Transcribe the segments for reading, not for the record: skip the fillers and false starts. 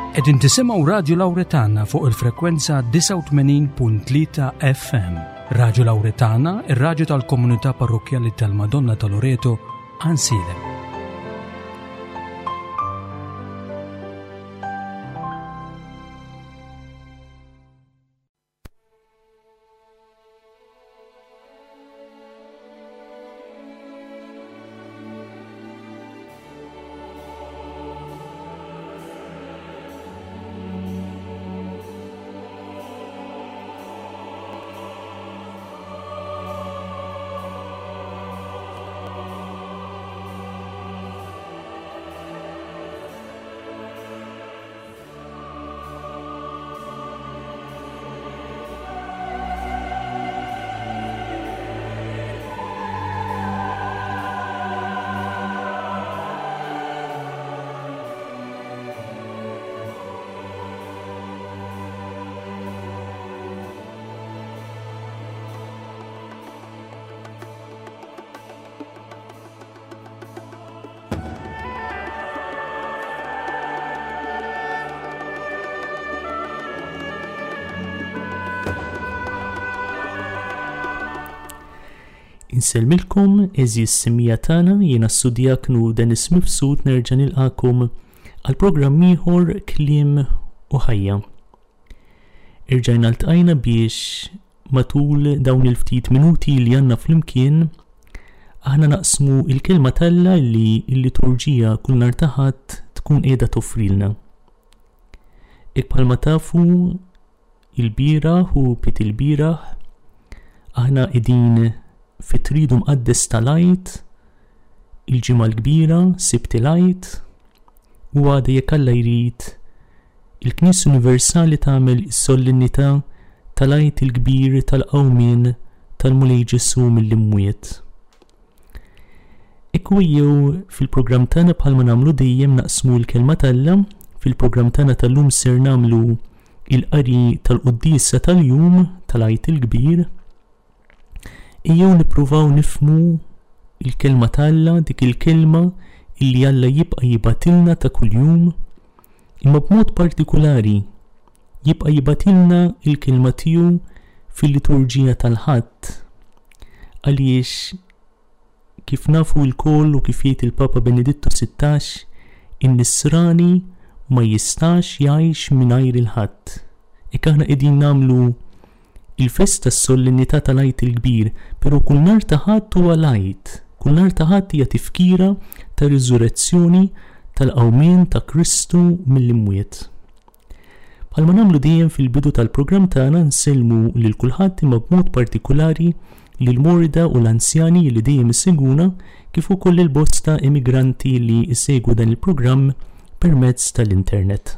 Qegħdin tisimgħu Radju Lawretana fuq il-frekwenza 89.3 FM. Radju Lawretana, ir-radju tal-komunità parrokkjali tal-Madonna ta' Loreto, Ansilem. Insellmilkom eżis simija tagħna jiena s-sudjaknu Dennis Mifsud nerġa' nilqakom għal programm ieħor Kliem u Ħajja. Irġajna ltqajna biex Matul dawn il-ftit minuti li għandna flimkien, aħna naqsmu il-kelma t'Alla li l-liturġija kull nhar ta' Ħadd tkun qiegħda toffrilna. Hekk bħalma tafu il-bieraħ u pit il-bieraħ aħna qegħdin fit-tridu mqaddes tal-Għid, il-Ġimgħa l-Kbira, Sibt il-Għid, u għada jekk Alla jrid Il-Knisja Universali tagħmel is-solennità tal-Għid il-Kbir tal-Qawmien tal-Mulej Ġesù mill-imwiet. Ekku ejjew fil-programm tagħna bħalma nagħmlu dejjem naqsmu l-kelma t'Alla, fil-programm tagħna tal-lum ser nagħmlu il-qari tal-quddiesa tal-jum tal-Għid il-Kbir. Ejjew nippruvaw nifhmu l-Kelma t'Alla, dik il-Kelma illi Alla jibqa' jibgħatilna ta' kuljum, imma b'mod partikulari jibqa' jibgħatilna l-Kelma tiegħu fil-liturġija tal-Ħadd. Għaliex Kif nafu lkoll u kif jgħid il-Papa Benedittu 16, in-Nisrani ma jistax jgħix mingħajr il-Ħadd. Hekk aħna qegħdin nagħmlu il-festa s-solennità tal-Għid il-Kbir, però kull nhar ta' Ħadd huwa l-Għid. Kull nhar ta' Ħadd hija tifkira tar-riżurezzjoni tal-qawmien ta' Kristu mill-imwiet. Bħalma nagħmlu dejjem fil-bidu tal-programm tagħna nsellmu lil kulħadd imma b'mod partikulari lill-morda u l-anzjani li dejjem isegwuna kif ukoll lil bosta immigranti li jsegwu dan il-programm permezz tal-internet.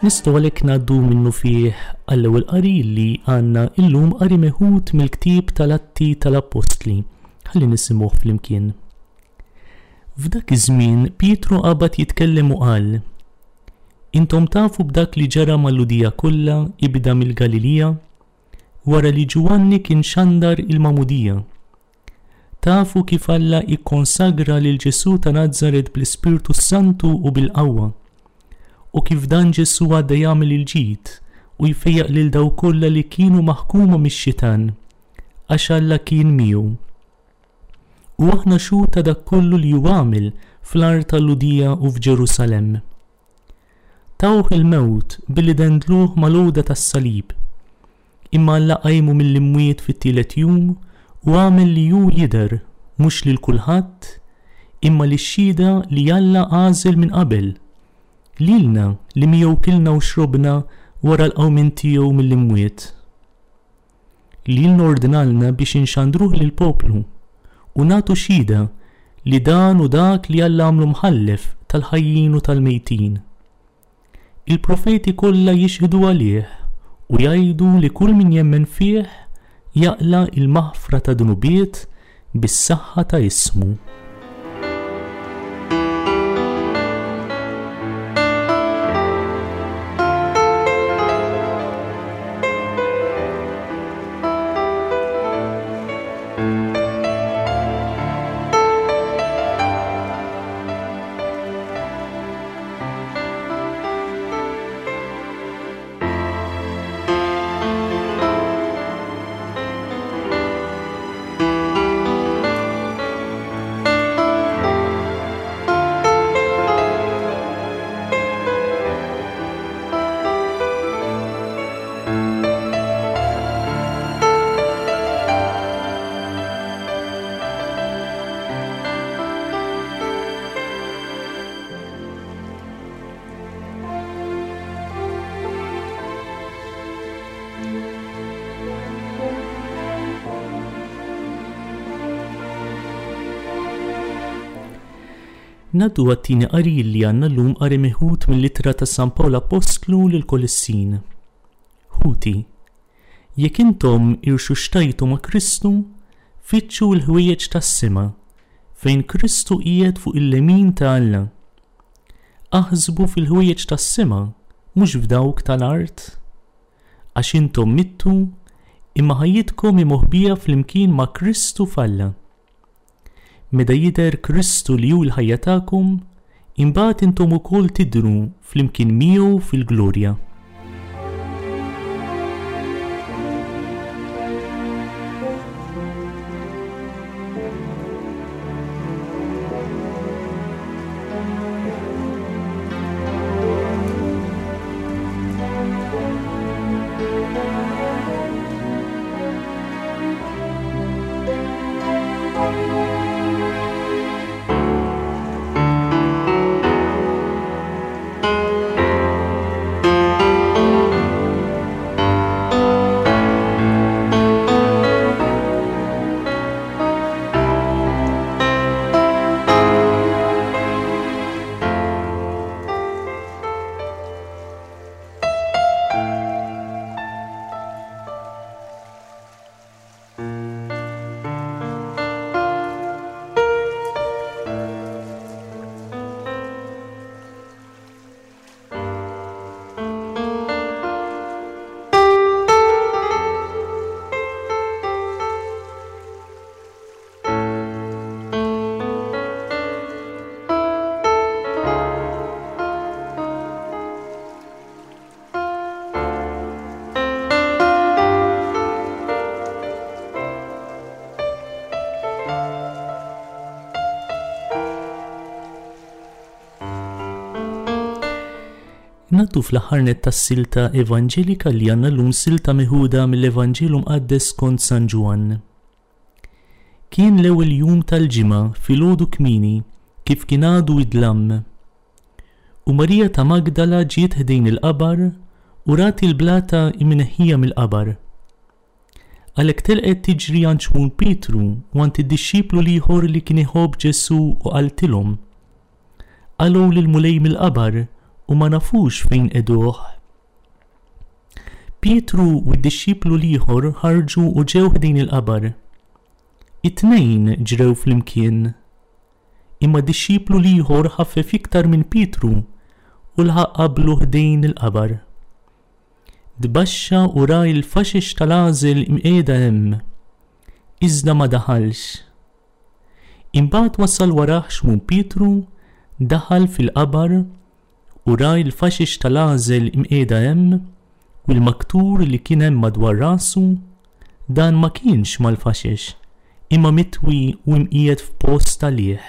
Nistgħu għalhekk ngħaddu minnufih għall-ewwel qari li għandna illum qari meħud mill-ktieb tal-Atti tal-Appostli. Ħalli nisimgħuh flimkien. F'dak iż-żmien Pietru qabad jitkellem u qal, Intom tafu b'dak li ġara mal-Lhudija kollha ibda mill-Galilija, wara li Ġwanni kien xandar il-magħmudija. Tafu kif Alla ikkonsagra lil Ġesù ta' Nazaret bl-Ispirtu s-Santu u bil-qawwa, u kif dan Ġesù għadda jagħmel il-ġid u jfejjaq lil dawk kollha li kienu maħkuma mix-xitan, għax Alla kien miegħu. U aħna xhud ta' dak kollu li hu għamel fl-art tal-Lhudija u f'Ġerusalemm. Tawh il-mewt billi dendluh mal-għuda tas-salib. Imma Alla qajmu mill-imwiet fit-tielet jum u għamel li hu jidher, mhux lil kulħadd, imma lix-xhieda li Alla għażel minn qabel, lilna li miegħu kilna u xrobna. wara l-qawmien tiegħu mill-imwiet. Lilna ordnalna biex inxandruh lill-poplu u nagħtu xhieda li dan hu dak li Alla għamlu mħallef tal-ħajjin u tal-mejtin. Il-profeti kollha jixhdu għalih u jgħidu li kull min jemmen fih jaqla' l-maħfra ta' dnubiet bis-saħħa ta' ismu. Ngħaddu għat-tieni qari li għandna llum qari meħud mill-ittra ta' San Pawl Appostlu lill-Kolissin. Ħuti, jekk intom irxuxtajtu ma' Kristu, fittxu l-ħwejjeġ tas-sema, fejn Kristu qiegħed fuq il-lemin ta' Alla. Aħsbu fil-ħwejjeġ tas-sema, mhux f'dawk tal-art. Għax intom mittu, imma ħajjitkom hi moħbija flimkien ma' Kristu f'Alla. Meta jidher Kristu li hu l-ħajja tagħkom, imbagħad intom ukoll tidhru flimkien miegħu fil-glorja. Ngħaddu fl-aħħar nett tas-silta evanġelika li għandna llum silta meħuda mill-Evanġelu Mqaddes skont San Ġwann. Kien l-ewwel jum tal-ġimgħa filgħodu kmieni kif kien għadu id-dlam. U Marija ta' Magdala ġiet ħdejn il-qabar u rat il-blata imneħħija mill-qabar. Għalhekk telqet tiġri għand Xmun Pietru u għand id-dixxiplu l-ieħor li kien iħobb Ġesù u qaltilhom, Qalgħu lill-Mulej mill-qabar u ma nafux fejn qegħduh. Pietru u d-dixxiplu l-ieħor ħarġu u ġew ħdejn il-qabar. It-tnejn ġrew flimkien. Imma d-dixxiplu l-ieħor ħaffef iktar minn Pietru u laħaq qablu ħdejn il-qabar. Tbaxxa u ra l-faxex tal-għażel imqiegħda hemm, iżda ma daħalx. Imbagħad wasal warah Xmun Pietru, daħal fil-qabar u ra l-faxex tal-għażel imqiegħda hemm u l-maktur li kien hemm madwar rasu, dan ma kienx mal-faxex, imma mitwi u imqiegħed f'post għalih.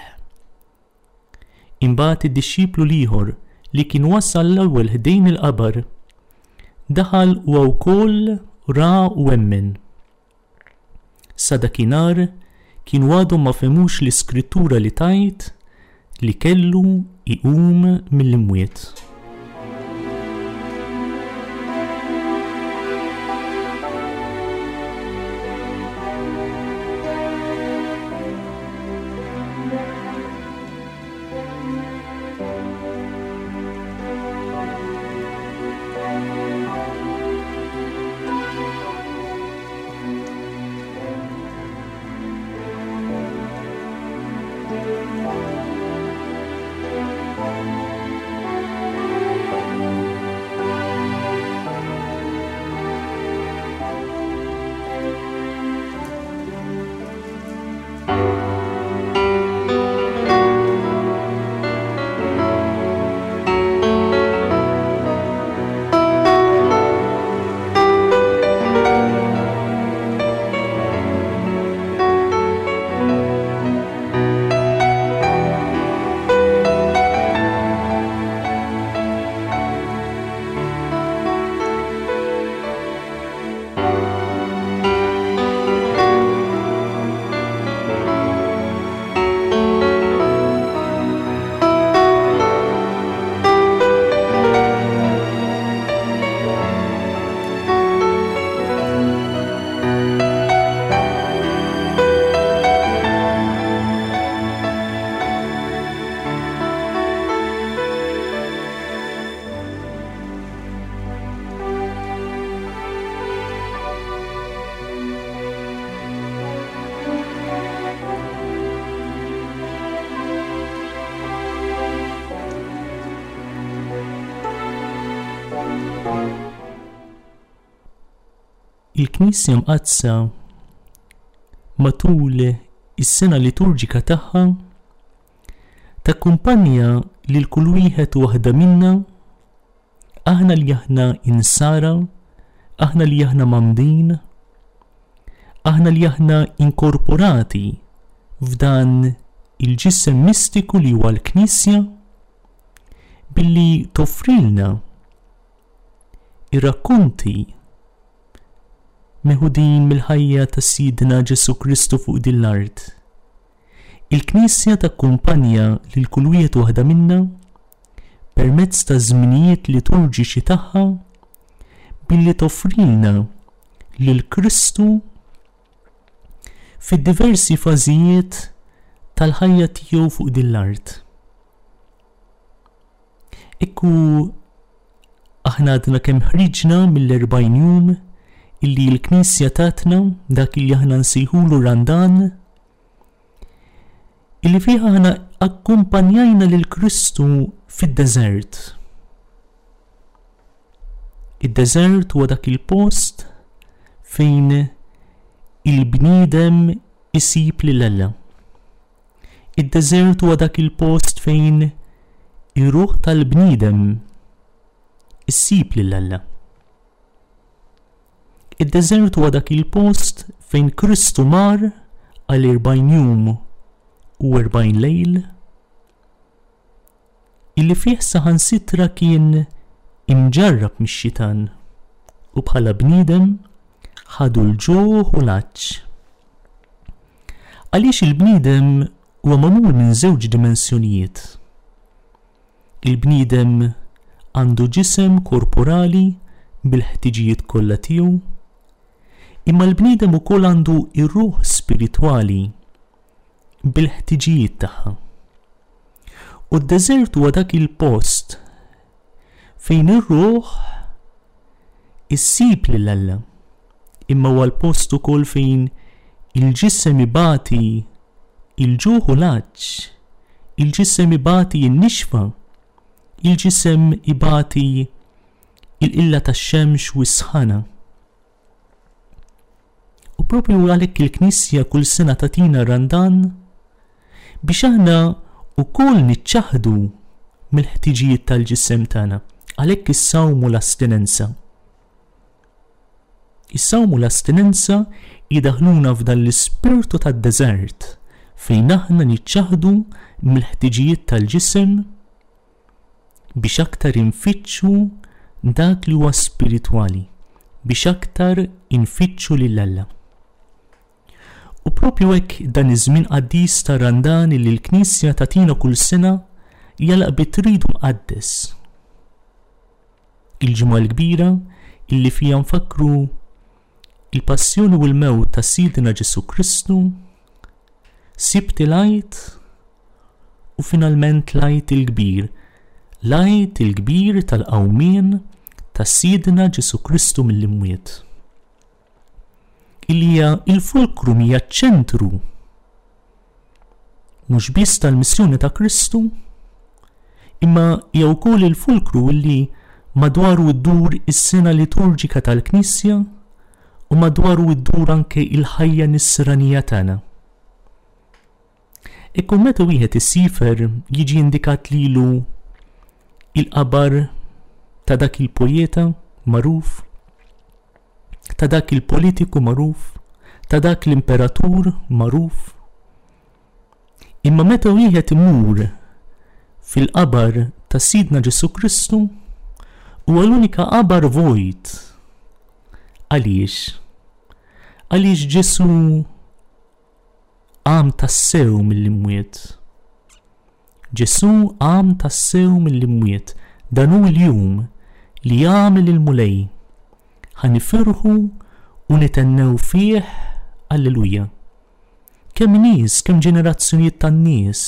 Imbagħad id-dixxiplu l-ieħor li kien wasal l-ewwel ħdejn il-qabar, daħal huwa wkoll ra u emmen. Sa dakinhar kienu għadhom ma fehmux l-iskrittura li tgħid li kellu jqum mill-imwiet. Il-Knisja Mqaddsa matul is-sena liturġika tagħha takkumpanja lil kull wieħed u waħda minna Aħna li aħna insara, aħna li aħna mgħammdin, aħna li aħna inkorporati f'dan il-ġisem mistiku li huwa l-Knisja, billi toffrilna ir-rakkonti meħudin mill-ħajja ta' Sidna Ġesù Kristu fuq din l-art. Il-Knisja takkumpanja lil kull wieħed u waħda minna permezz taż-żminijiet liturġiċi tagħha billi toffrilna lil Kristu fid-diversi fażijiet tal-ħajja tiegħu fuq din l-art. Ekku aħna għadna kemm ħriġna mill-40 jum illi l-Knisja tatna dak illi aħna nsejħulu Randan illi fih aħna akkumpanjajna lil Kristu fid-deżert. Id-deżert huwa dak il-post fejn il-bniedem isib lil Alla. Id-deżert huwa dak il-post fejn ir-ruħ tal-bniedem issib lil Alla. Id-deżert huwa dak il-post fejn Kristu mar għal 40 jum u 40 lejl illi fih saħansitra kien imġarrab mix-xitan u bħala bniedem ħadu l-ġuħ u l-għatx. Għaliex il-bniedem huwa magħmul minn żewġ dimensjonijiet. Il-bniedem għandu ġisem korporali bil-ħtiġijiet kollha tiegħu, imma l-bniedem ukoll għandu r-ruħ spiritwali bil-ħtiġijiet tagħha. U d-deżert huwa dak il-post fejn ir-ruħ issib lil Alla, imma huwa l-post ukoll fejn il-ġisem ibati il-ġuħ u l-għatx, il-ġisem ibati n-nixfa, il-ġisem ibati il-qilla tax-xemx u s-sħana. U propju għalhekk il-Knisja kull sena tagħtina Randan biex aħna wkoll niċċaħħdu mill-ħtiġijiet tal-ġisem tagħna. Għalhekk is-sawm u l-astinenza. Is-sawm u l-astinenza jidaħluna f'dan l-ispirtu tad-deżert fejn aħna niċċaħħdu mill-ħtiġijiet tal-ġisem biex aktar infittxu dak li huwa spiritwali, biex aktar infittxu lil Alla. U propju hekk dan iż-żmien qaddis ta' Randan li l-Knisja tagħtina kull sena jalaq bit-Tridu Mqaddes. Il-Ġimgħa l-Kbira illi fiha nfakkru il-passjoni u l-mewt ta' Sidna Ġesù Kristu, Sibt il-Għid. u finalment l-Għid il-Kbir, l-Għid il-Kbir tal-qawmien ta' Sidna Ġesù Kristu mill-imwiet. Illi hija il-fulkrum hija ċ-ċentru mhux biss tal-missjoni ta' Kristu, imma hija wkoll il-fulkru illi madwaru ddur is-sena liturġika tal-Knisja u madwaru ddur anke il-ħajja nisranija tagħna. Ikun meta wieħed isifer jiġi indikat lilu il-qabar ta' dak il-pojeta magħruf, ta' dak il-politiku magħruf, ta' dak l-imperatur magħruf. Imma meta wieħed imur fil-qabar ta' Sidna Ġesù Kristu, huwa l-unika qabar vojt. Għaliex? Għaliex Ġesù qam tassew mill-imwiet. Ġesù qam tassew mill-imwiet, dan hu l-jum li għamel il-Mulej. Ħa nifirħu u nithennew fih, Alleluja. Kemm nies, kemm ġenerazzjonijiet ta' nies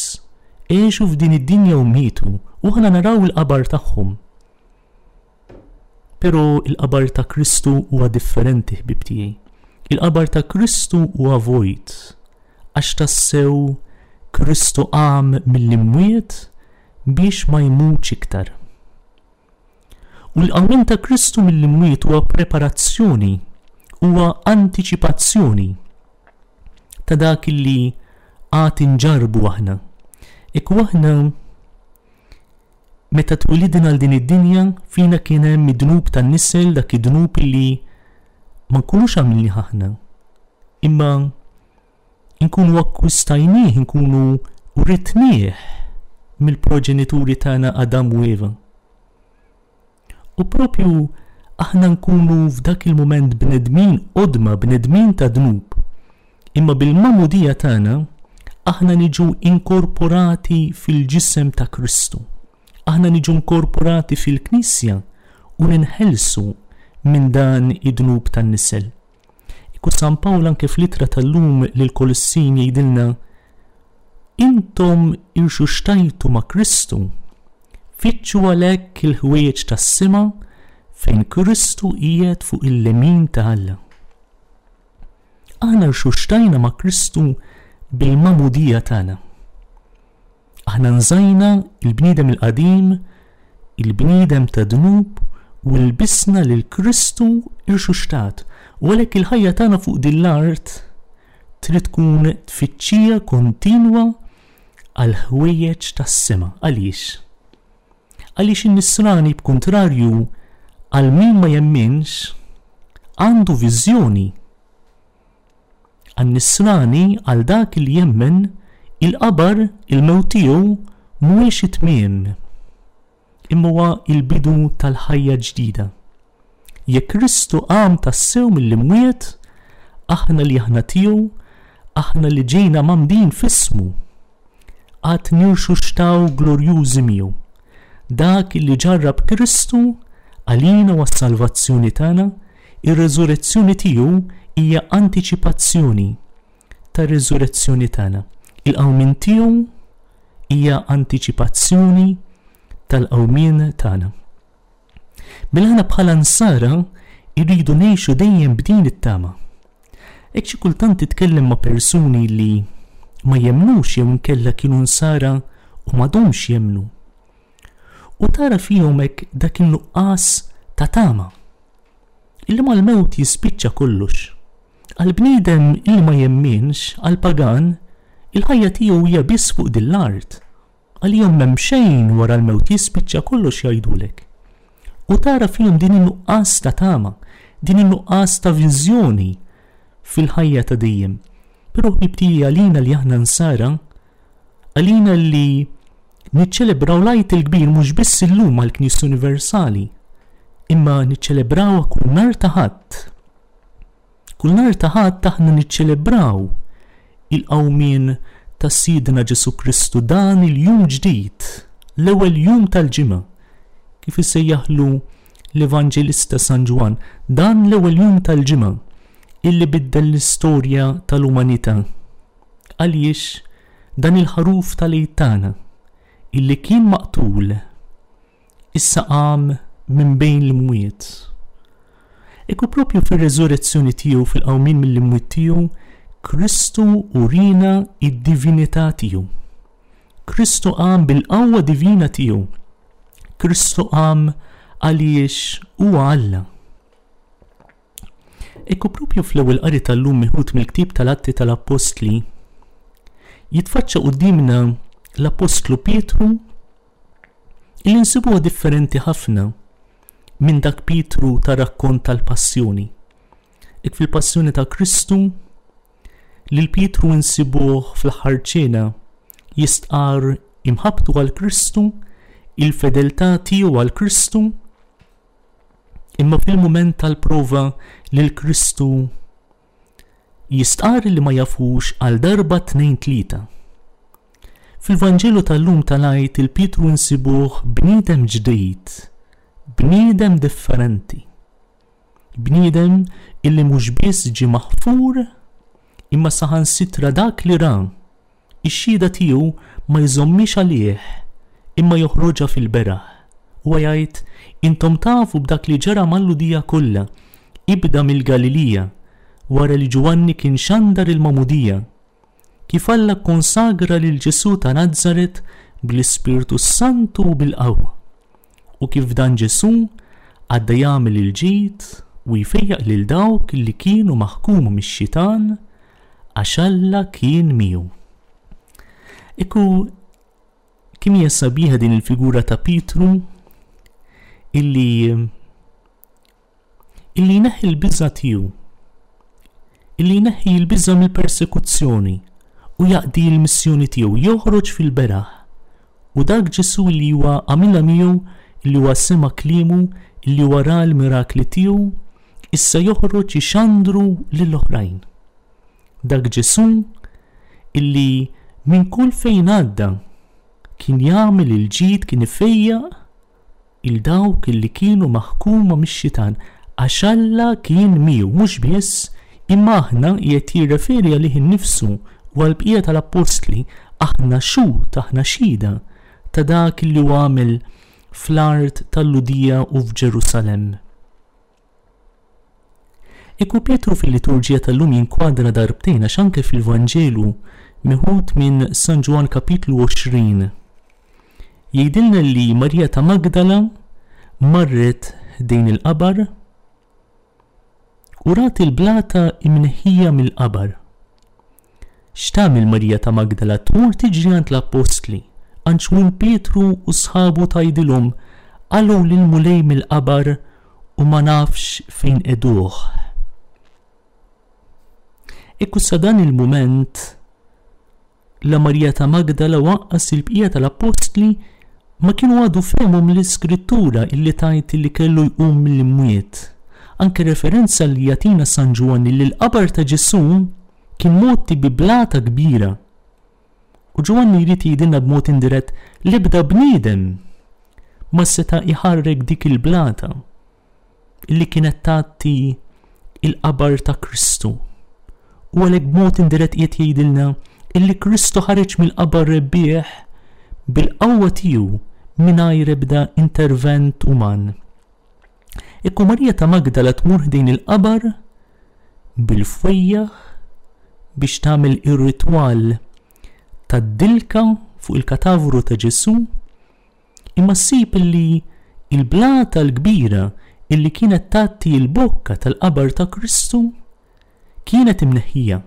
għexu f'din id-dinja u mietu u aħna naraw il-qabar tagħhom. Però il-qabar ta' Kristu huwa differenti ħbieb tiegħi. Il-qabar ta' Kristu huwa vojt għax tassew Kristu qam mill-imwiet biex ma jmutx iktar. U l-qawmien ta' Kristu mill-imwiet huwa preparazzjoni, huwa antiċipazzjoni ta' dak li għad inġarrbu aħna. Ekku aħna meta twilidna għal din id-dinja fina kien hemm id-dnub tan-nisel dak id-dnub li ma nkunux għamilnih aħna. Imma nkunu akkwistajnieh, nkunu writnieh mill-proġenituri tagħna Adam u Eva. U propju aħna nkunu f'dak il-mument bnedmin qodma, bnedmin ta' dnub. Imma bil-magħmudija tagħna aħna niġu inkorporati fil-ġisem ta' Kristu. Aħna niġu inkorporati fil-Knisja u ninħelsu minn dan id-dnub tan-nisel. Iku San Pawl anke fl-ittra tal-lum lill-Kolossin jgħidilna Intom irxuxtajtu ma' Kristu, fittxu għalhekk il-ħwejjeġ tas-sema fejn Kristu qiegħed fuq il-lemin ta' Alla. Aħna rxuxtajna ma' Kristu bil-magħmudija tagħna. Aħna nżajna il-bniedem il-qadim, il-bniedem ta' dnub u lbisna lil Kristu irxuxtat. U għalhekk il-ħajja tagħna fuq din l-art trid tkun tfittxija kontinwa għal ħwejjeġ tas-sema. Għaliex? Għaliex in-nisrani b'kuntrarju għal min ma jemminx għandu viżjoni Għan-Nisrani, għal dak li jemmen, il-qabar, il-mewt tiegħu, mhuwiex it-tmiem, imma huwa l-bidu tal-ħajja ġdida. Jekk Kristu qam tassew mill-imwiet, aħna li aħna tiegħu, aħna li ġejna mgħammdin f'ismu, għad nirxuxtaw glorjużi miegħu. Dak li ġarrab Kristu għalina u għas-salvazzjoni tagħna, ir-reżurezzjoni tiegħu hija antiċipazzjoni tar-reżurezzjoni tagħna. Il-qawmien tiegħu hija antiċipazzjoni tal-qawmien tagħna. Mela aħna bħala nsara irridu ngħixu dejjem b'din it-tama. Hekk xi kultant titkellem ma' persuni li ma jemmnux jew inkella kienu nsara u m'għadhomx jemmnu. U tara fihom hekk dak in-nuqqas ta' tama. Illi mal-mewt jispiċċa kollox. Għall-bniedem illi ma jemminx, għall-pagan, il-ħajja tiegħu hija biss fuq din l-art. Għalihom m'hemm xejn wara l-mewt jispiċċa kollox jgħidulek. U tara fihom din in-nuqqas ta' tama, din in-nuqqas ta' viżjoni fil-ħajja ta' dejjem. Però ħbieb tiegħi għalina li aħna nsara, għalina li niċċelebraw l-Għid il-Kbir mhux biss illum għall-Knisja Universali, imma niċċelebrawha kull nhar ta' Ħadd. Kull nhar ta' Ħadd aħna niċċelebraw il-qawmien ta' Sidna Ġesù Kristu dan il-jum ġdid, l-ewwel jum tal-ġimgħa, kif isejjaħlu l-Evanġelista San Ġwann, dan l-ewwel jum tal-ġimgħa illi biddel l-istorja tal-umanità. Għaliex dan il-ħaruf tal-Għid tagħna. illi kien maqtul issa qam minn bejn l-imwiet. Ekku propju fir-reżurezzjoni tiegħu fil-qawmien mill-imwiet tiegħu, Kristu urina id-divinità tiegħu. Kristu qam bil-qawwa divina tiegħu. Kristu qam għaliex huwa Alla. Ekku propju fl-ewwel qari tal-lum miħud mill-ktieb tal-Atti tal-Appostli, jitfaċċa quddiemna l-Appostlu Pietru illi nsibuha differenti ħafna minn dak Pietru ta' rakkont tal-Passjoni. Ek fil-Passjoni ta' Kristu lil Pietru nsibuh fl-aħħar ċena jistqarr imħabbtu għal Kristu, il-fedeltà tiegħu għal Kristu, Imma fil-mument tal-prova lil Kristu jistqarr li ma jafux għal darba tnejn tlieta. Fil-Vanġelu tal-lum tal-Għid il-Pietru nsibuh bniedem ġdid, bniedem differenti. Bniedem illi mhux biss ġie maħfur imma saħansitra dak li ra Ix-xhieda tiegħu ma jżommhiex għalih, imma joħroġha fil-beraħ. Huwa jgħid, Intom tafu b'dak li ġara mal-Lhudija kollha, ibda mill-Galilija, wara li Ġwanni kien xandar il-magħmudija, kif Alla kkonsagra lil Ġesù ta' Nazaret bl-Ispirtu s-Santu u bil-qawwa, u kif dan Ġesù għadda jagħmel il-ġid u jfejjaq lil dawk li kienu maħkuma mix-xitan, għax Alla kien miegħu. Ekku kemm hija sabiħa din il-figura ta' Pietru illi illi jneħħi l-biża' tiegħu, illi jneħħi l-biża' mill-persekuzzjoni u jaqdi l-missjoni tiegħu, joħroġ fil-beraħ. U dak Ġesù li huwa għamilha miegħu, illi huwa sema' kliemu, illi huwa ra l-mirakli tiegħu, issa joħroġ ixandru lill-oħrajn. Dak Ġesù illi minn kull fejn għadda kien jagħmel il-ġid, kien ifejjaq il dawk illi kienu maħkuma mix-xitan għax Alla kien miegħu mhux biss imma aħna qiegħed jirreferi għalih innifsu u għall-bqija tal-appostli aħna xhud aħna xhieda ta' dak illi hu għamel fl-art tal-Lhudija u f'Ġerusalemm. Ekku Pietru fil-liturġija tal-lum jinkwadra darbtejn għax anke fil-Vanġelu meħud minn San Ġwann kapitlu 20 jgħidilna li Marija ta' Magdala marret ħdejn il-qabar u rat il-blata imneħħija mill-qabar. X'tagħmel Marija ta' Magdala? Tmur tiġri għand l-appostli, għand Xmun Pietru u sħabu tgħidilhom, Qalgħu lill-Mulej mill-qabar u ma nafx fejn qegħduh. Ekku sa dan il-mument la Marija ta' Magdala u anqas il-bqija tal-appostli ma kienu għadu fehmu mill-Iskrittura illi tgħid illi kellu jqum mill-imwiet. Anke referenza li jagħtina San Ġwanni li l-qabar ta' Ġesù kien mgħotti bi blata kbira. U Ġwanni jrid jgħidilna b'mod indirett l-ebda bniedem ma seta' iħarrek dik il-blata illi kienet tgħatti il-qabar ta' Kristu. U għalhekk b'mod indirett qiegħed jgħidilna illi Kristu ħareġ mill-qabar rebbieħ bil-qawwa tiegħu mingħajr ebda intervent uman. Ekku Marija ta' Magdala tmur ħdejn il-qabar bil-fwejjaħ biex tagħmel ir-ritwal tad-dilka fuq il-katavru ta' Ġesù Imma ssib illi l-blata l-kbira illi kienet tgħatti l-bokka tal-qabar ta' Kristu kienet imneħħija.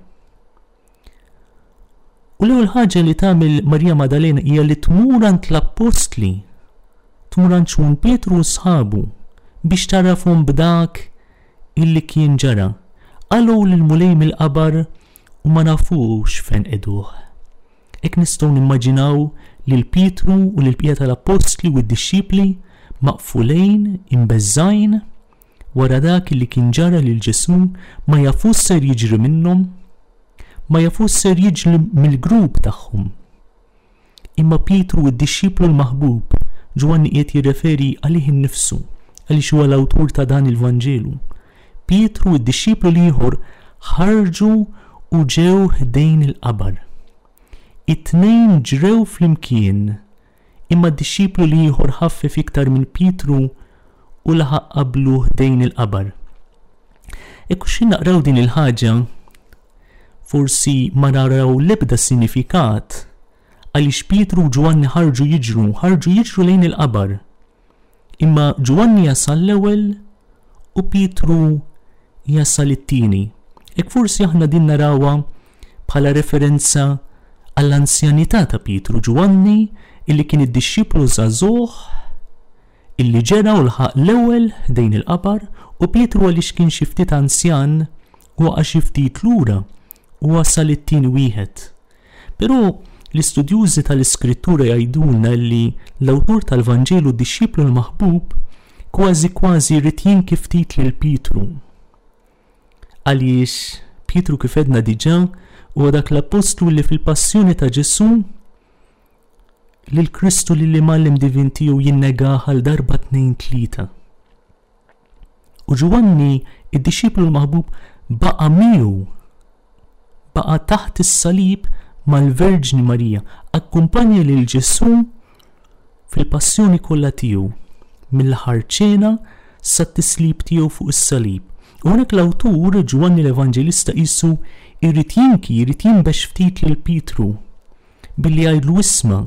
U l-ewwel ħaġa li tagħmel Marija Madalena hija li tmur għand l-appostli, tmur għand Xmun Pietru u sħabu biex tagħrafhom b'dak illi kien ġara. Qalgħu lill-Mulej mill-qabar u ma nafux fejn qegħduh. Hekk nistgħu nimmaġinaw lil Pietru u lill-bqija tal-appostli u d-dixxipli maqfulejn, imbeżżgħin, wara dak li kien ġara lil Ġesù, ma jafux x'ser jiġri minnhom, ma jafux x'ser jiġri mill-grupp tagħhom. Imma Pietru id-dixxiplu l-maħbub, Ġwanni qiegħed jirreferi għalih innifsu, għaliex huwa l-awtur ta' dan il-Vanġelu. Pietru id-dixxiplu l-ieħor ħarġu u ġew ħdejn il-qabar. It-tnejn ġrew flimkien, Imma d-dixxiplu l-ieħor ħaffef iktar minn Pietru u laħaq qablu ħdejn il-qabar. Hekk u xi naqraw din il-ħaġa, forsi ma naraw l-ebda sinifikat għaliex Pietru u Ġwanni ħarġu jiġru, ħarġu jiġru lejn il-qabar. Imma Ġwanni jasal l-ewwel u Pietru jasal it-tieni. Hekk forsi aħna din narawha bħala referenza għall-anzjanità ta' Pietru Ġwanni illi kien id-dixxiplu żagħżugħ illi ġera u lħaq l-ewwel ħdejn il-qabar u Pietru għaliex kien xi ftit anzjan waqa' xi ftit lura u wasal it-tieni wieħed. Però l-istudjużi tal-Iskrittura jgħidulna li l-awtur tal-Vanġelu d-dixxiplu l-maħbub kważi kważi jrid jinki ftit lil Pietru. Għaliex Pietru kif għedna diġà huwa dak l-appostlu li fil-passjoni ta' Ġesù lil Kristu li l-imgħallem divin tiegħu jinnegah għal darba tnejn tlieta. U Ġwanni, id-dixxiplu l-maħbub, baqa' miegħu, baqa' taħt is-salib mal-Verġni Marija, akkumpanja lil Ġesù fil-passjoni kollha tiegħu, mill-aħħar ċena sat-tislib tiegħu fuq is-salib. U hawnhekk l-awtur, Ġwanni l-Evanġelista qisu jrid jinki, jrid jinbex ftit lil Pietru billi jgħidlu isma'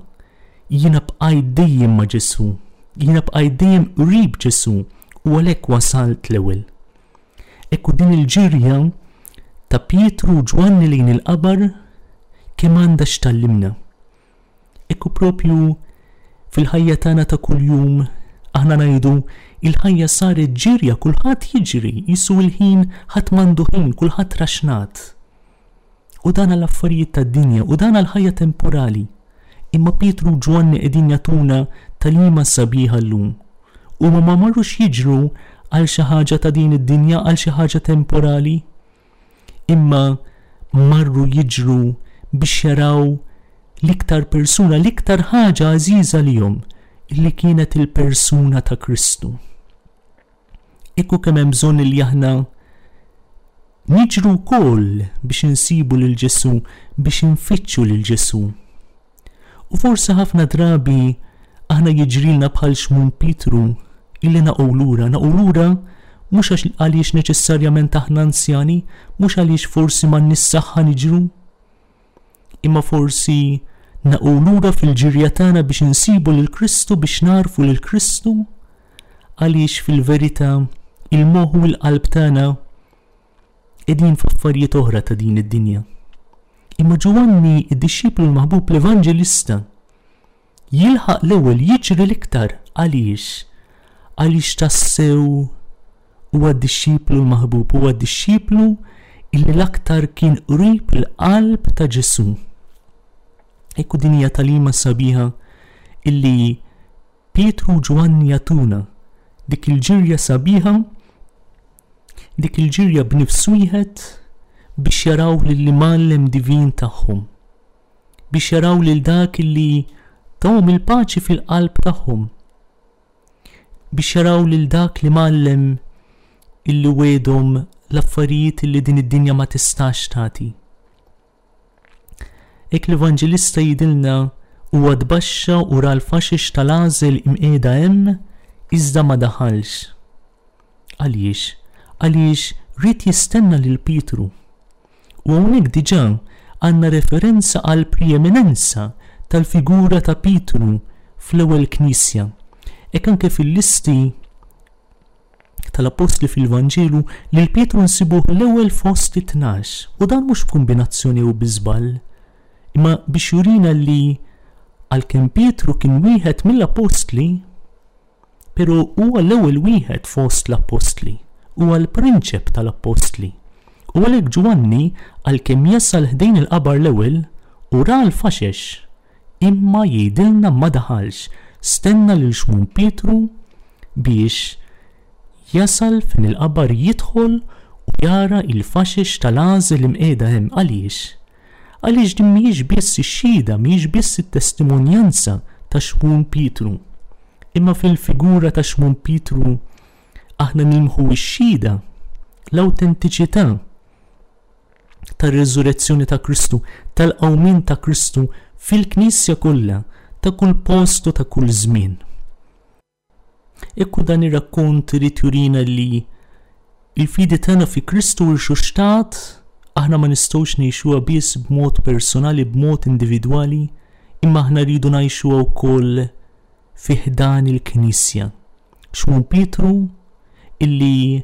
jiena bqajt dejjem ma' Ġesù, jiena bqajt dejjem qrib Ġesù u għalhekk wasalt l-ewwel. Ekku din il-ġirja ta' Pietru u Ġwanni lejn il-qabar kemm għandha x'tgħallimna. Ekku propju fil-ħajja tagħna ta' kuljum aħna ngħidu il-ħajja saret ġirja, kulħadd jiġri, jisu l-ħin ħadd m'għandu ħin, kulħadd raxnat. U dan għal affarijiet tad-dinja u dan għal ħajja temporali. Imma Pietru u Ġwanni qegħdin jagħtuna tagħlima sabiħa llum. Huma ma marrux jiġru għal xi ħaġa ta' din id-dinja, għal xi ħaġa temporali, imma marru jiġru biex jaraw l-iktar persuna, l-iktar ħaġa għażiża lihom, illi kienet il-persuna ta' Kristu. Ekku kemm hemm bżonn li aħna niġru wkoll biex insibu lil Ġesù, biex infittxu lil Ġesù. U forsi ħafna drabi aħna jiġrilna bħal Xmun Pietru illi naqgħu lura, naqgħu lura mhux għax għaliex neċessarjament aħna anzjani, mhux għaliex forsi m'għandniex saħħa niġru, imma forsi naqgħu lura fil-ġirja tagħna biex insibu lil Kristu, biex nagħrfu lil Kristu, għaliex fil-verità il-moħħ u l-qalb tagħna qegħdin f'affarijiet oħra ta' din id-dinja. Imma Ġwanni, id-dixxiplu l-maħbub l-evanġelista, jilħaq l-ewwel jiġri l-iktar għaliex? Għaliex tassew huwa d-dixxiplu l-maħbub, huwa d-dixxiplu illi l-aktar kien qrib il-qalb ta' Ġesù. Ekku din hija tagħlima sabiħa illi Pietru u Ġwanni jagħtuna dik il-ġirja sabiħa, dik il-ġirja b'nifs wieħed biex jaraw lill-imgħallem divin tagħhom, biex jaraw lil dak li tahom il-paċi fil-qalb tagħhom, biex jaraw lil dak li mgħallem illi wegħdhom l-affarijiet illi din id-dinja ma tistax tagħti. Hekk l-Evanġelista jgħidilna huwa tbaxxa u ra l-faxex tal-għażel imqiegħda hemm iżda ma daħalx. Għaliex? Għaliex ried jistenna lil Pietru. U hawnhekk diġà għandna referenza għall-preeminenza tal-figura ta' Pietru fl-ewwel Knisja. Hekk anke fil-listi tal-Appostli fil-Vanġelu lil Pietru nsibuh l-ewwel fost it-tnax, u dan mhux b'kumbinazzjoni jew bi żball, imma biex jurina li għalkemm Pietru kien wieħed mill-Appostli, però huwa l-ewwel wieħed fost l-Appostli, huwa l-prinċep tal-Appostli. U għalhekk Ġwanni, għalkemm jasal ħdejn il-qabar l-ewwel, u ra l-faxex, Imma jgħidilna ma daħalx, stenna lil Xmun Pietru biex jasal fejn il-qabar jidħol u jara il-faxex tal-għażel imqiegħda hemm. Għaliex? Għaliex din mhijiex biss ix-xhieda, mhijiex biss it-testimonjanza ta' Xmun Pietru. Imma fil-figura ta' Xmun Pietru aħna nilmħu x-xhieda, l-awtentiċità tar-reżurezzjoni ta' Kristu, tal-qawmien ta' Kristu fil-Knisja kollha, ta' kull post u ta' kull żmien. Ekku dan ir-rakkont irid jurina li il-fidi tagħna fi Kristu rxuxtat aħna ma nistgħux ngħixuha biss b'mod personali, b'mod individwali, imma aħna rridu ngħixuha wkoll fi ħdan il-Knisja. Xmun Pietru illi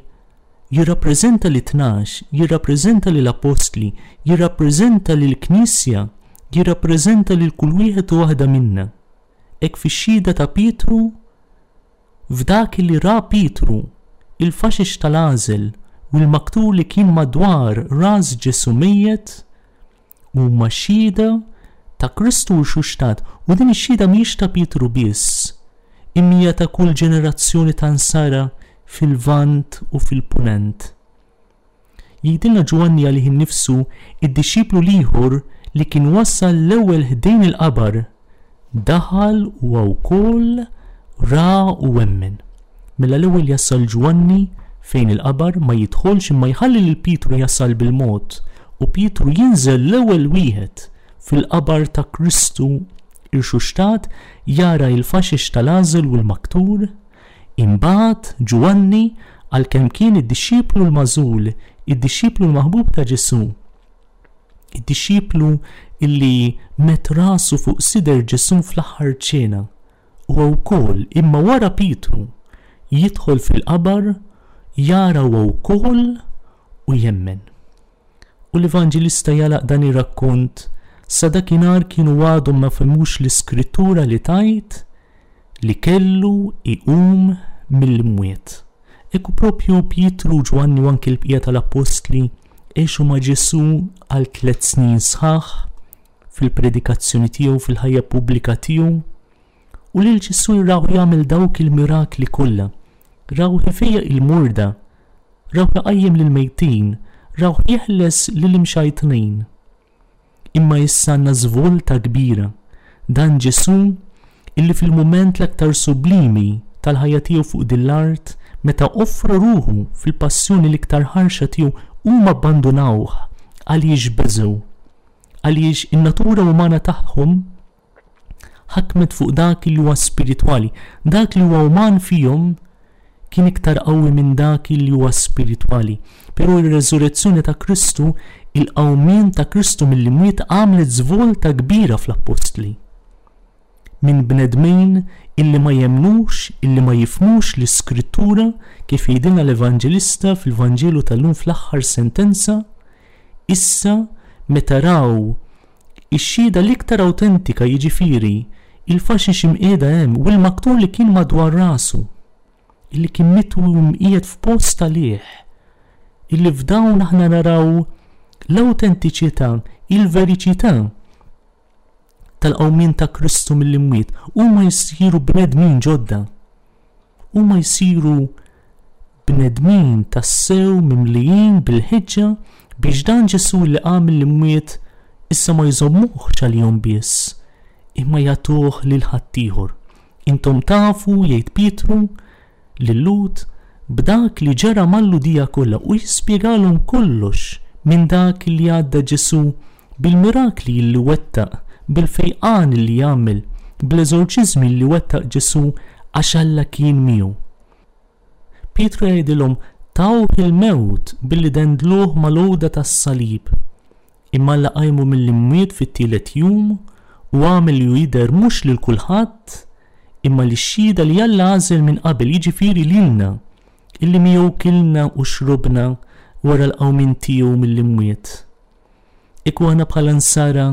jirrappreżenta lit-tnax, jirrappreżenta lill-appostli, jirrappreżenta lill-Knisja, jirrappreżenta lil kull wieħed u waħda minna. Hekk fix-xhieda ta' Pietru, f'dak li ra Pietru, il-faxix tal-għażel u l-maktur li kien madwar ras Ġesù mejjet, huma xhieda ta' Kristu rxuxtat, u din ix-xhieda mhijiex ta' Pietru biss, imma hija ta' kull ġenerazzjoni ta' Nsara fil-Lvant u fil-Punent. Jgħidilna Ġwanni għalih innifsu, id-dixxiplu l-ieħor li kien wasal l-ewwel ħdejn il-qabar, daħal huwa wkoll ra u emmen. Mela l-ewwel jasal Ġwanni fejn il-qabar, ma jidħolx imma jħalli lil Pietru jasal bil-mod, u Pietru jinżel l-ewwel wieħed fil-qabar ta' Kristu irxuxtat, jara il-faxix tal-għażel u l-maktur. Imbagħad Ġwanni, għalkemm kien id-dixxiplu l-magħżul, id-dixxiplu l-maħbub ta' Ġesù, id-dixxiplu illi medd rasu fuq sider Ġesù fl-aħħar ċena, huwa wkoll, imma wara Pietru, jidħol fil-qabar, jara huwa wkoll u jemmen. U l-Evanġelista jagħlaq dan ir-rakkont, Sa dakinhar kienu għadhom ma fehmux l-Iskrittura li tgħid li kellu jqum mill-imwiet. Hekk hu propju Pietru, Ġwanni u anki l-bqija tal-appostli għexu ma' Ġesù għal tliet snin sħaħ fil-predikazzjoni tiegħu, fil-ħajja pubblika tiegħu, u lil Ġesù rawh jagħmel dawk il-mirakli kollha. Rawh ifejjaq il-morda, rawh iqajjem lill-mejtin, rawh jeħles lill-imxajtnin. Imma issa għandna żvolta kbira. Dan Ġesù illi fil-mument l-aktar sublimi tal-ħajja tiegħu fuq din l-art, meta offra ruħu fil-passjoni l-iktar ħarxa tiegħu, huma abbandunawh għaliex beżgħu. Għaliex in-natura umana tagħhom ħakmet fuq dak li huwa spiritwali. Dak li huwa uman fihom kien iktar qawwi minn dak li huwa spiritwali. Però ir-reżurezzjoni ta' Kristu, il-qawmien ta' Kristu mill-imwiet għamlet żvolta kbira fl-appostli. Minn bnedmin illi ma jemmnux, illi ma jifhmux l-Iskrittura, kif jgħidilna l-Evanġelista fil-Vanġelu tal-lum fl-aħħar sentenza, issa meta raw Ix-xhieda l-iktar awtentika, jiġifieri, il-faxix imqiegħda hemm u l-maktur li kien madwar rasu, illi kien mitwi u mqiegħed f'post għalih, illi f'dawn aħna naraw l-awtentiċità, il-veriċità tal-qawmien ta' Kristu mill-imwiet, huma jsiru bnedmin ġodda. Huma jsiru bnedmin tassew mimlijin bil-ħeġġa biex dan Ġesù li qam mill-imwiet issa ma jżommuhx għalihom biss, imma jagħtuh lil ħaddieħor. Intom tafu, jgħid Pietru lil-Lhud, b'dak li ġara mal-Lhudija kollha u jispjegalhom kollox minn dak li għadda Ġesù bil-mirakli li wettaq, bil-fejqan li għamel, bl-eżorċiżmi li wettaq Ġesù għax Alla kien miegħu. Pietru jgħidilhom, Tawh il-mewt billi dendluh mal-għuda tas-salib. Imma Alla qajmu mill-imwiet fit-tielet jum u għamel li hu jidher mhux lil kulħadd, imma lix-xhieda li Alla għażel minn qabel, jiġifieri lilna, illi miegħu kilna u xrobna wara l-qawmien tiegħu mill-imwiet. Kieku aħna bħala Nsara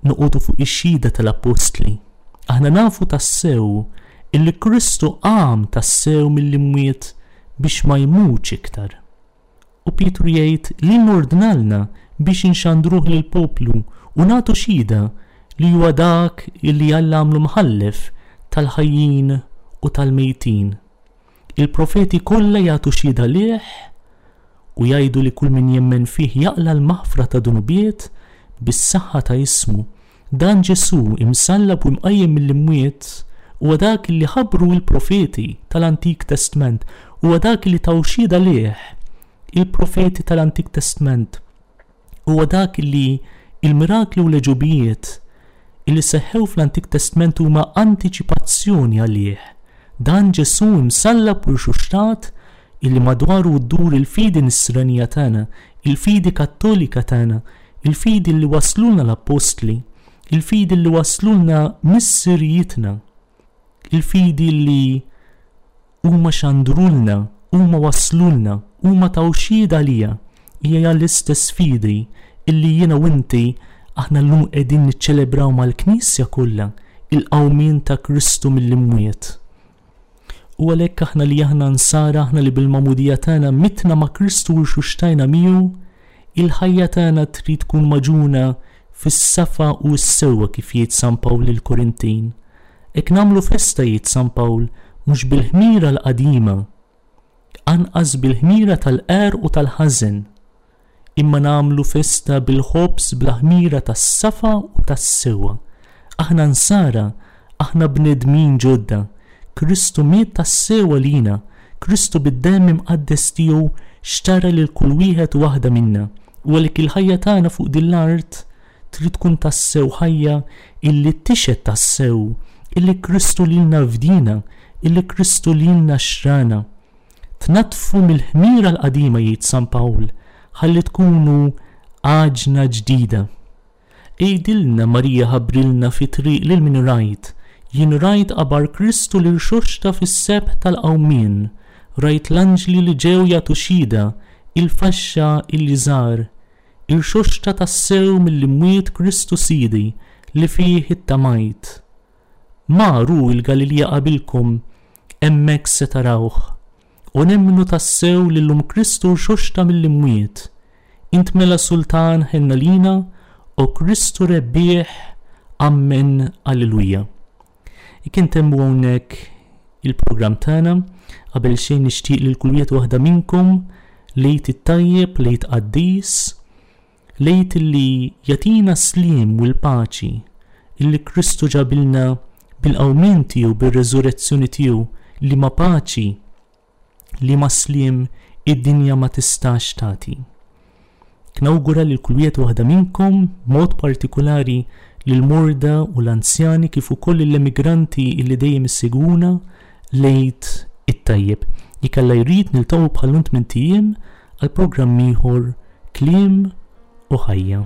noqogħdu fuq ix-xhieda tal-appostli, aħna nafu tassew illi Kristu qam tassew mill-imwiet biex ma jmutx iktar. U Pietru jgħid li ordnalna biex inxandruh lill-poplu u nagħtu xhieda li huwa dak illi Alla għamlu mħallef tal-ħajjin u tal-mejtin. Il-profeti kollha jagħtu xhieda lih u jgħidu li kull min jemmen fih jaqla' l-maħfra ta' dnubiet bis-saħħa ta' ismu. Dan Ġesù, imsallab u imqajjem mill-imwiet, huwa dak li ħabbru l-profeti tal-Antik Testment, huwa dak li taw xhieda lih il-profeti tal-Antik Testment. Huwa dak li l-mirakli u l-għeġubijiet. illi seħħew fl-Antik Testment huma antiċipazzjoni għalih. Dan Ġesù imsallab u rxuxtat illi madwaru ddur il-fidi nisranija tagħna, il-fidi Kattolika tagħna, il-fidi li waslulna l-Appostli, il-fidi li waslulna missirijietna, il-fidi li huma xandrulna, huma waslulna, huma taw xhieda għalija, hija l-istess fidi illi jiena u inti aħna llum qegħdin niċċelebraw mal-Knisja kollha il-qawmien ta' Kristu mill-imwiet. U għalhekk aħna li aħna nsara, aħna li bil-magħmudija tagħna mitna ma' Kristu u rxuxtajna miegħu, il-ħajja tagħna trid tkun magħġuna fis-safa u s-sewwa kif jgħid San Pawl lill-Korintin. Hekk nagħmlu festa jgħid San Pawl mhux bil-ħmira l-qadima, anqas bil-ħmira tal-qerq u tal-ħażen, imma nagħmlu festa bil-ħobż bla ħmira tas-safa u tas-sewwa. Aħna nsara, aħna bnedmin ġodda. Kristu miet tassew għalina, Kristu bid-demm imqaddes tiegħu xtara lil kull wieħed u waħda minna, u għalhekk il-ħajja tagħna fuq din l-art trid tkun tassew ħajja illi tixhed tassew illi Kristu lilna fdiena, illi Kristu lilna xtrana. Tnaddfu mill-ħmira l-qadima jgħid San Pawl, ħalli tkunu għaġna ġdida. Għidilna Marija ħabbrilna fit-triq lil min rajt, jien rajt qabar Kristu li rxoxta fis-sebħ tal-qawmien, rajt l-anġli li ġew jagħtu xhieda, il-faxxa illi żar, irxoxta tassew mill-imwiet Kristu Sidi li fih ittamajt. Mar hu l-Galilija qabilkom, hemmhekk se tarawh. U nemmnu tassew li llum Kristu rxoxta mill-imwiet. Int mela Sultan ħenn għalina, o Kristu rebbieħ, Ammen, Alleluja. Jekk intemmu hawnhekk il-programm tagħna, qabel xejn nixtieq lil kull wieħed waħda minnkom l-Għid it-tajjeb, l-Għid qaddis, L-Għid li jagħtina s-sliem u l-paċi illi Kristu ġabilna bil-qawmien tiegħu, bir-reżurezzjoni tiegħu, liema paċi, liema sliem id-dinja ma tistax tagħti. Knawgura lil kull wieħed waħda minnkom, b'mod partikulari lill-morda u l-anzjani kif ukoll lill-emigranti illi dejjem issegwuna, l-Għid it-tajjeb. Jekk Alla jrid niltaqgħu bħal-lum tmint ijiem għal programm ieħor Kliem u Ħajja.